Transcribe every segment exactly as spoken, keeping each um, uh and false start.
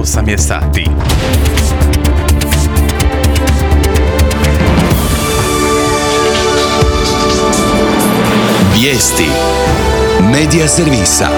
osam je sati. Vijesti Medija servisa.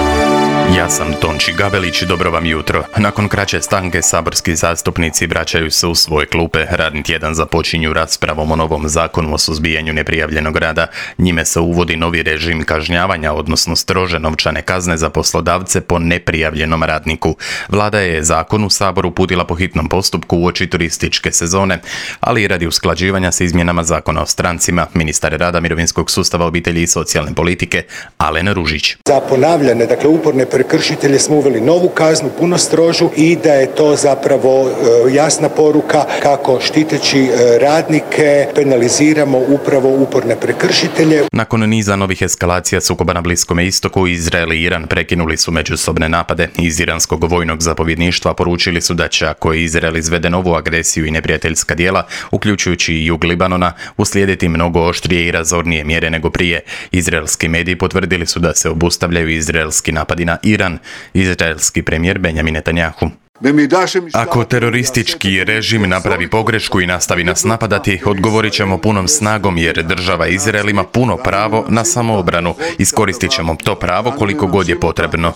Ja sam Tonči Gavelić, dobro vam jutro. Nakon kraće stanke saborski zastupnici vraćaju se u svoje klupe. Radni tjedan započinju raspravom o novom zakonu o suzbijanju neprijavljenog rada. Njime se uvodi novi režim kažnjavanja, odnosno strože novčane kazne za poslodavce po neprijavljenom radniku. Vlada je zakon u Sabor uputila po hitnom postupku uoči turističke sezone, ali i radi usklađivanja s izmjenama zakona o strancima. Ministar rada, mirovinskog sustava, obitelji i socijalne politike Alen Ružić. Za ponavljane, dakle uporne prekršitelje smo uveli novu kaznu, puno strožu, i da je to zapravo e, jasna poruka kako štiteći e, radnike penaliziramo upravo uporne prekršitelje. Nakon niza novih eskalacija sukoba na Bliskome istoku, Izrael i Iran prekinuli su međusobne napade. Iz iranskog vojnog zapovjedništva poručili su da će, ako Izrael izvede novu agresiju i neprijateljska djela, uključujući i jug Libanona, uslijediti mnogo oštrije i razornije mjere nego prije. Izraelski mediji potvrdili su da se obustavljaju izraelski napadi na Iran. Izraelski premijer Benjamin Netanjahu. Ako teroristički režim napravi pogrešku i nastavi nas napadati, odgovorit ćemo punom snagom jer država Izrael ima puno pravo na samoobranu. Iskoristit ćemo to pravo koliko god je potrebno.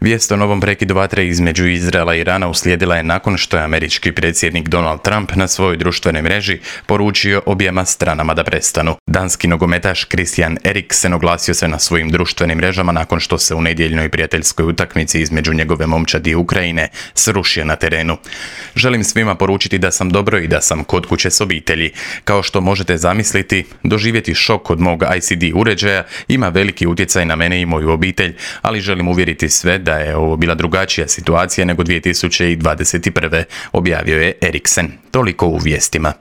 Vijest o novom prekidu vatre između Izraela i Irana uslijedila je nakon što je američki predsjednik Donald Trump na svojoj društvenoj mreži poručio objema stranama da prestanu. Danski nogometaš Christian Eriksen oglasio se na svojim društvenim mrežama nakon što se u nedjeljnoj prijateljskoj utakmici između njegove momčadi Ukrajine srušio na terenu. Želim svima poručiti da sam dobro i da sam kod kuće s obitelji. Kao što možete zamisliti, doživjeti šok od mog I C D uređaja ima veliki utjecaj na mene i moju obitelj, ali želim uvjeriti sve da je ovo bila drugačija situacija nego dvije tisuće dvadeset prve. objavio je Eriksen. Toliko u vijestima.